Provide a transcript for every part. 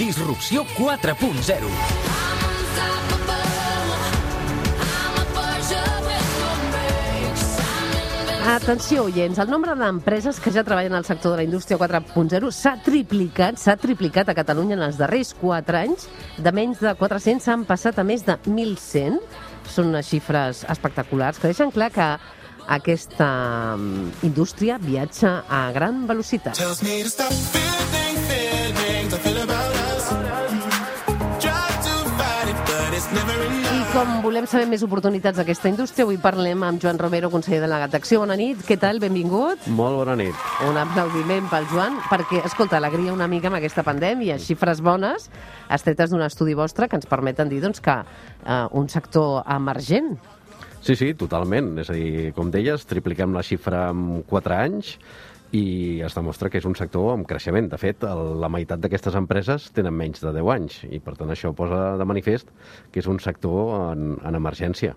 Disrupció 4.0. Atenció, oients, el nombre d'empreses que ja treballen al sector de la indústria 4.0 s'ha triplicat a Catalunya en els darrers 4 anys. De menys de 400 s'han passat a més de 1.100. Són unes xifres espectaculars que deixen clar que aquesta indústria viatja a gran velocitat. I com volem saber més oportunitats d'aquesta indústria, avui parlem amb Joan Romero, conseller delegat d'Acció. Bona nit, què tal? Benvingut. Molt bona nit. Un aplaudiment pel Joan, perquè, escolta, alegria una mica amb aquesta pandèmia, xifres bones, extretes d'un estudi vostre que ens permeten dir doncs, que un sector emergent. Sí, totalment. És a dir, com deies, tripliquem la xifra en 4 anys i es demostra que és un sector amb creixement. De fet, la meitat d'aquestes empreses tenen menys de 10 anys i, per tant, això posa de manifest que és un sector en emergència.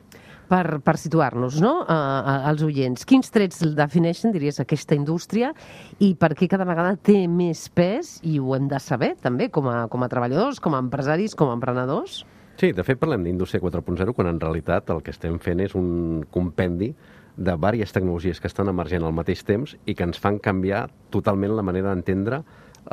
Per situar-nos, no?, als oients, quins trets defineixen, diries, aquesta indústria i per què cada vegada té més pes, i ho hem de saber, també, com a treballadors, com a empresaris, com a emprenedors? Sí, de fet, parlem d'indústria 4.0 quan en realitat el que estem fent és un compendi de diverses tecnologies que estan emergent al mateix temps i que ens fan canviar totalment la manera d'entendre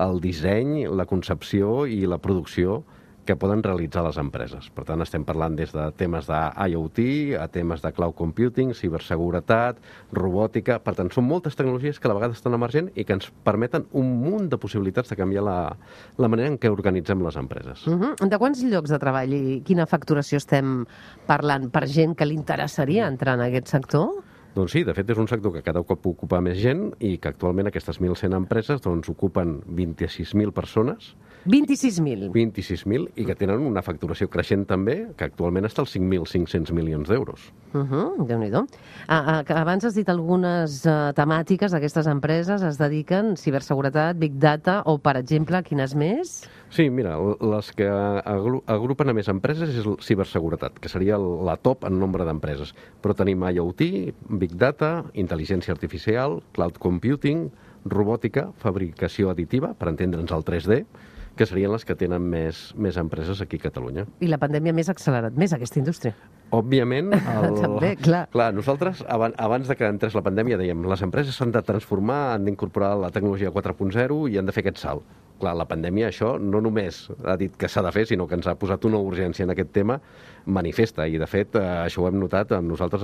el disseny, la concepció i la producció que poden realitzar les empreses. Per tant, estem parlant des de temes d'IoT a temes de cloud computing, ciberseguretat, robòtica. Per tant, són moltes tecnologies que a la vegada estan emergent i que ens permeten un munt de possibilitats de canviar la manera en què organitzem les empreses. De quants llocs de treball i quina facturació estem parlant per gent que li interessaria entrar en aquest sector? Doncs sí, de fet és un sector que cada cop ocupa més gent i que actualment aquestes 1.100 empreses doncs, ocupen 26.000 persones. 26.000? 26.000 i que tenen una facturació creixent també, que actualment està als 5.500 milions d'euros. Déu-n'hi-do. Abans has dit algunes temàtiques d'aquestes empreses, es dediquen ciberseguretat, big data o, per exemple, quines més? Sí, mira, les que agrupen a més empreses és ciberseguretat, que seria la top en nombre d'empreses. Però tenim IoT, big data, intel·ligència artificial, cloud computing, robòtica, fabricació additiva, per entendre'ns el 3D, que serien les que tenen més empreses aquí a Catalunya. I la pandèmia ha accelerat més aquesta indústria. Òbviament, també, clar. Nosaltres, abans de que entrés la pandèmia, dèiem les empreses s'han de transformar, han d'incorporar la tecnologia 4.0 i han de fer aquest salt. Clar, la pandèmia això no només ha dit que s'ha de fer, sinó que ens ha posat una urgència en aquest tema manifesta. I, de fet, això ho hem notat amb nosaltres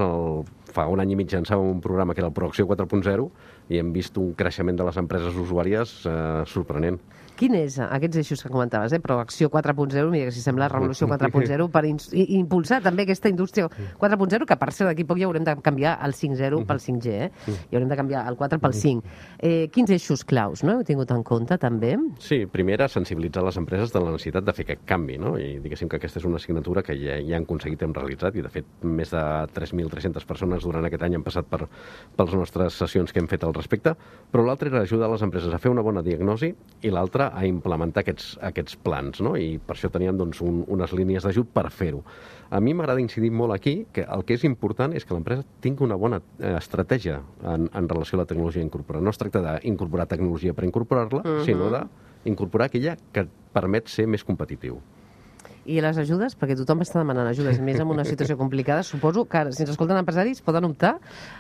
fa un any i mig llançàvem un programa que era el Proacció 4.0 i hem vist un creixement de les empreses usuàries sorprenent. Quin és aquests eixos que comentaves, Proacció 4.0, mira que si sembla Revolució 4.0, per impulsar també aquesta indústria 4.0, que per ser d'aquí poc ja haurem de canviar el 5.0 pel 5G, i haurem de canviar el 4 pel 5. Quins eixos claus, no? Heu tingut en compte també? Sí, primer era sensibilitzar les empreses de la necessitat de fer aquest canvi, no? I diguéssim que aquesta és una assignatura que ja han aconseguit, hem realitzat, i de fet més de 3.300 persones durant aquest any han passat per les nostres sessions que hem fet al respecte, però l'altre era ajudar les empreses a fer una bona diagnosi i l'altre a implementar aquests plans, no? I per això teníem doncs, unes línies d'ajut per fer-ho. A mi m'agrada incidir molt aquí que el que és important és que l'empresa tingui una bona estratègia en relació a la tecnologia incorporada. No es tracta d'incorporar tecnologia per incorporar-la, sinó d'incorporar aquella que et permet ser més competitiu. I les ajudes? Perquè tothom està demanant ajudes, més en una situació complicada. Suposo que si ens escolten empresaris poden optar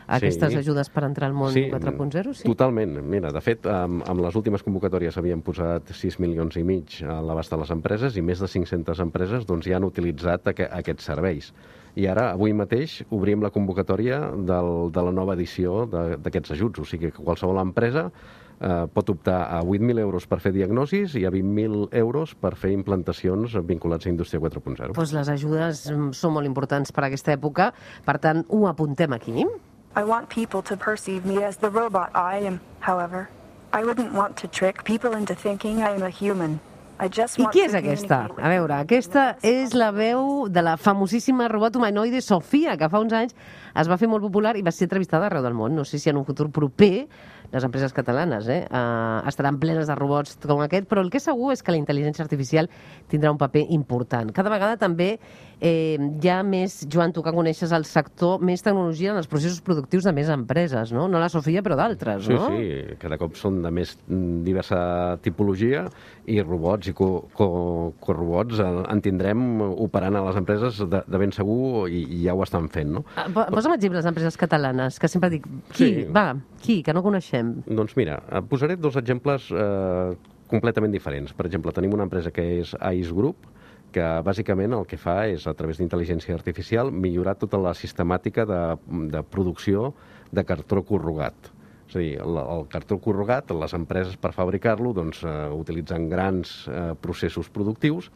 a aquestes ajudes per entrar al món 4.0? Sí, totalment. Mira, de fet, amb les últimes convocatòries havíem posat 6 milions i mig a l'abast de les empreses i més de 500 empreses doncs, ja han utilitzat aquests serveis. I ara, avui mateix, obrim la convocatòria de la nova edició d'aquests ajuts. O sigui que qualsevol empresa pot optar a 8.000 euros per fer diagnosis i a 20.000 euros per fer implantacions vinculats a Indústria 4.0. Doncs les ajudes són molt importants per a aquesta època, per tant, ho apuntem aquí. I want people to perceive me as the robot I am, however. I wouldn't want to trick people into thinking I am a human. I qui és aquesta? A veure, aquesta és la veu de la famosíssima robot humanoide Sofia, que fa uns anys es va fer molt popular i va ser entrevistada arreu del món. No sé si en un futur proper les empreses catalanes, estaran plenes de robots com aquest, però el que és segur és que la intel·ligència artificial tindrà un paper important. Cada vegada també hi ha més, Joan, tu que coneixes el sector, més tecnologia en els processos productius de més empreses, no? No la Sofia, però d'altres, no? Sí, cada cop són de més diversa tipologia i robots i corrobots en tindrem operant a les empreses de ben segur i ja ho estan fent, no? Posa'm exemples d'empreses catalanes, que sempre dic, qui, que no coneixem? Doncs mira, posaré dos exemples completament diferents. Per exemple, tenim una empresa que és AIS Group, que bàsicament el que fa és, a través d'intel·ligència artificial, millorar tota la sistemàtica de producció de cartró corrugat. És a dir, el cartró corrugat, les empreses per fabricar-lo doncs, utilitzen grans processos productius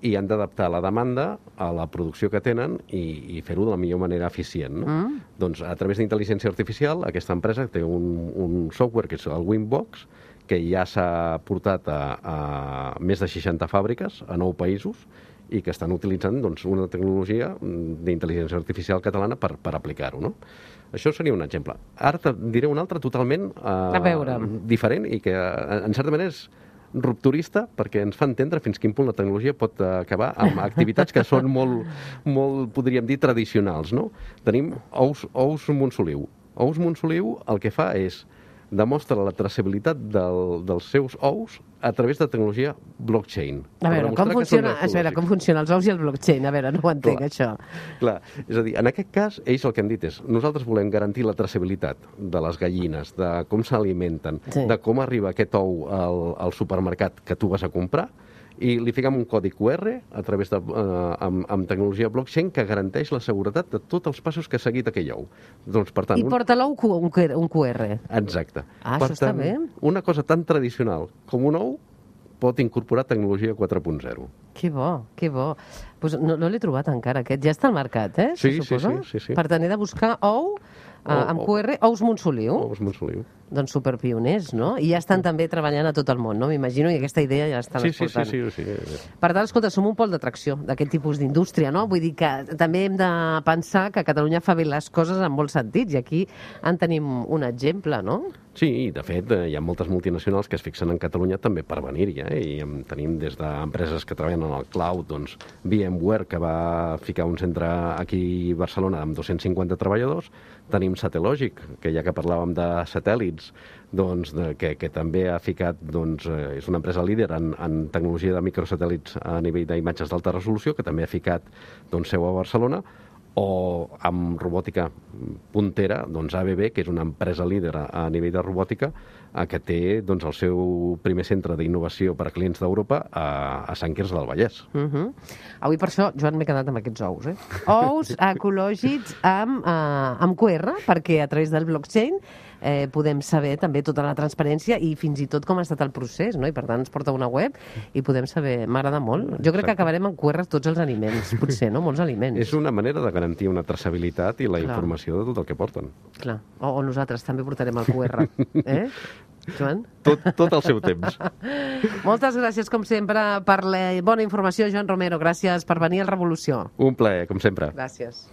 i han d'adaptar la demanda a la producció que tenen i fer-ho de la millor manera eficient. No? Doncs a través d'intel·ligència artificial aquesta empresa té un software que és el Winbox, que ja s'ha portat a més de 60 fàbriques a 9 països i que estan utilitzant doncs, una tecnologia d'intel·ligència artificial catalana per aplicar-ho. No? Això seria un exemple. Ara te diré un altre totalment diferent i que, en certa manera, és rupturista perquè ens fa entendre fins quin punt la tecnologia pot acabar amb activitats que són molt podríem dir, tradicionals. No? Tenim Ous Montsoliu. Ous Montsoliu el que fa és demostra la traçabilitat dels seus ous a través de tecnologia blockchain. A veure, com funciona els ous i el blockchain? A veure, no ho entenc, això. Clar, és a dir, en aquest cas, ells el que han dit és nosaltres volem garantir la traçabilitat de les gallines, de com s'alimenten, de com arriba aquest ou al supermercat que tu vas a comprar, i li fiquem un codi QR a través amb tecnologia blockchain que garanteix la seguretat de tots els passos que ha seguit aquell ou. Doncs, per tant, I porta l'ou un QR. Exacte. Això està bé. Una cosa tan tradicional com un ou pot incorporar tecnologia 4.0. Que bo, que bo. Pues no l'he trobat encara, aquest. Ja està al mercat, Sí. Per tant, he de buscar ou amb QR, Ous Montsoliu. Ous Montsoliu. Doncs superpioners, no? I ja estan també treballant a tot el món, no? M'imagino, i aquesta idea ja l'estan exportant. Sí. Per tant, escolta, som un pol d'atracció d'aquest tipus d'indústria, no? Vull dir que també hem de pensar que Catalunya fa bé les coses en molts sentits, i aquí en tenim un exemple, no? Sí, de fet, hi ha moltes multinacionals que es fixen en Catalunya també per venir-hi, i en tenim des d'empreses que treballen en el cloud, doncs VMware, que va ficar un centre aquí a Barcelona amb 250 treballadors, tenim Satellogic, que ja que parlàvem de satèl·lits, doncs, que també ha ficat, doncs, és una empresa líder en tecnologia de microsatèl·lits a nivell d'imatges d'alta resolució, que també ha ficat doncs, seu a Barcelona, o amb robòtica puntera, doncs ABB, que és una empresa líder a nivell de robòtica, que té doncs, el seu primer centre d'innovació per a clients d'Europa a Sant Quirze del Vallès. Avui per això, Joan, m'he quedat amb aquests ous. Ous ecològics amb QR, perquè a través del blockchain podem saber també tota la transparència i fins i tot com ha estat el procés, no? I per tant ens porta una web i podem saber, m'agrada molt. Jo crec que acabarem amb QR tots els aliments, potser, no? Molts aliments. És una manera de garantir una traçabilitat i la informació de tot el que porten. Clar, o nosaltres també portarem el QR, Joan? Tot al seu temps. Moltes gràcies, com sempre, per la bona informació, Joan Romero. Gràcies per venir al Revolució. Un plaer, com sempre. Gràcies.